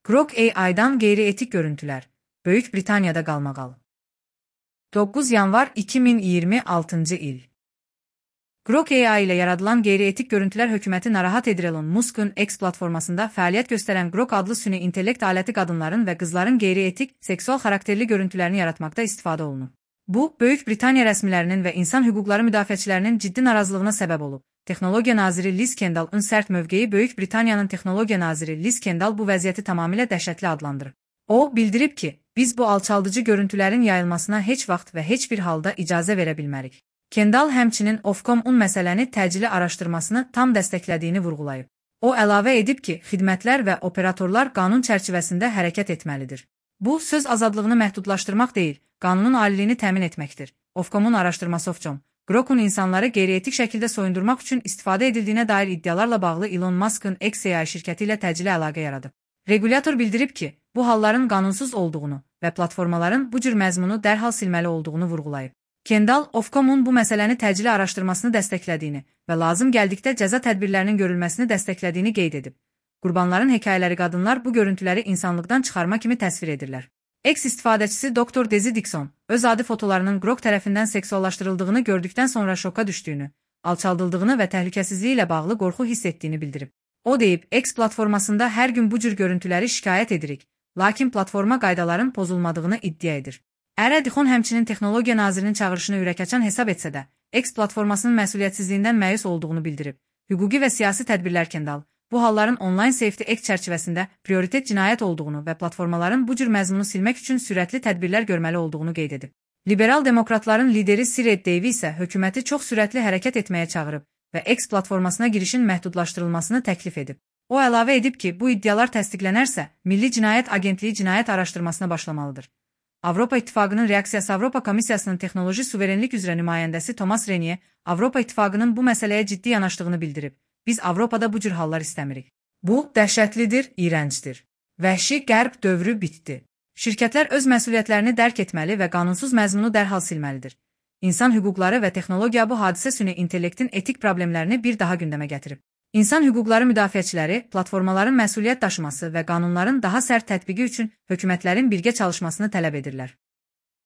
Grok AI'dan qeyri-etik görüntülər. Böyük Britaniyada qalmaqal. 9 yanvar 2026-cı il. Grok AI ilə yaradılan qeyri-etik görüntülər hökuməti narahat edir. Elon Musk'un X platformasında fəaliyyət göstərən Grok adlı süni intellekt aləti qadınların və qızların qeyri-etik, seksual xarakterli görüntülərini yaratmaqda istifadə olunub. Bu, Böyük Britaniya rəsmilərinin və insan hüquqları müdafiəçilərinin ciddi narazılığına səbəb olub. Texnologiya naziri Liz Kendall'ın sərt mövqeyi Böyük Britaniyanın texnologiya naziri Liz Kendall bu vəziyyəti tamamilə dəhşətli adlandırır. O, bildirib ki, biz bu alçaldıcı görüntülərin yayılmasına heç vaxt və heç bir halda icazə verə bilmərik. Kendall həmçinin Ofcom-un məsələni təcili araşdırmasını tam dəstəklədiyini vurğulayıb. O, əlavə edib ki, xidmətlər və operatorlar qanun çərçivəsində hərəkət etməlidir. Bu, söz azadlığını məhdudlaşdırmaq deyil, qanunun aliliyini təmin etməkdir. Ofcom-un araşdırması Ofcom, Grok'un insanları qeyri-etik şəkildə soyundurmaq üçün istifadə edildiyinə dair iddialarla bağlı Elon Musk'ın XAI şirkəti ilə təcili əlaqə yaradıb. Regulyator bildirib ki, bu halların qanunsuz olduğunu və platformaların bu cür məzmunu dərhal silməli olduğunu vurğulayıb. Kendall, Ofcom-un bu məsələni təcili araşdırmasını dəstəklədiyini və lazım gəldikdə cəza tədbirlərinin görülməsini dəstəklədiyini qeyd edib. Qurbanların hekayələri qadınlar bu görüntüləri insanlıqdan çıxarma kimi təsvir edirlər. X istifadəçisi Dr. Dezi Dixon, öz adi fotolarının Grok tərəfindən seksuallaşdırıldığını gördükdən sonra şoka düşdüyünü, alçaldıldığını və təhlükəsizliyi ilə bağlı qorxu hiss etdiyini bildirib. O deyib, X platformasında hər gün bu cür görüntüləri şikayət edirik, lakin platforma qaydaların pozulmadığını iddia edir. Ərə Dixon həmçinin texnologiya nazirinin çağırışını ürəkaçan hesab etsə də, X platformasının məsuliyyətsizliyindən məyus olduğunu bildirib. Hüquqi və siyasi tədbirlər Kendall, bu halların online safety X çərçivəsində prioritet cinayət olduğunu və platformaların bu cür məzmunu silmək üçün sürətli tədbirlər görməli olduğunu qeyd edib. Liberal demokratların lideri Sir Ed Davey isə hökuməti çox sürətli hərəkət etməyə çağırıb və X platformasına girişin məhdudlaşdırılmasını təklif edib. O əlavə edib ki, bu iddialar təsdiqlənərsə, Milli Cinayət Agentliyi cinayət araşdırmasına başlamalıdır. Avropa İttifaqının reaksiyası Avropa Komissiyasının texnoloji suverenlik üzrə nümayəndəsi Thomas Renier, Avropa İttifaqının bu məsələyə ciddi yanaşdığını bildirib. Biz Avropada bu cür hallar istəmirik. Bu, dəhşətlidir, iyrəncdir. Vəhşi qərb dövrü bitdi. Şirkətlər öz məsuliyyətlərini dərk etməli və qanunsuz məzmunu dərhal silməlidir. İnsan hüquqları və texnologiya bu hadisə süni intellektin etik problemlərini bir daha gündəmə gətirib. İnsan hüquqları müdafiəçiləri, platformaların məsuliyyət daşıması və qanunların daha sərt tətbiqi üçün hökumətlərin birgə çalışmasını tələb edirlər.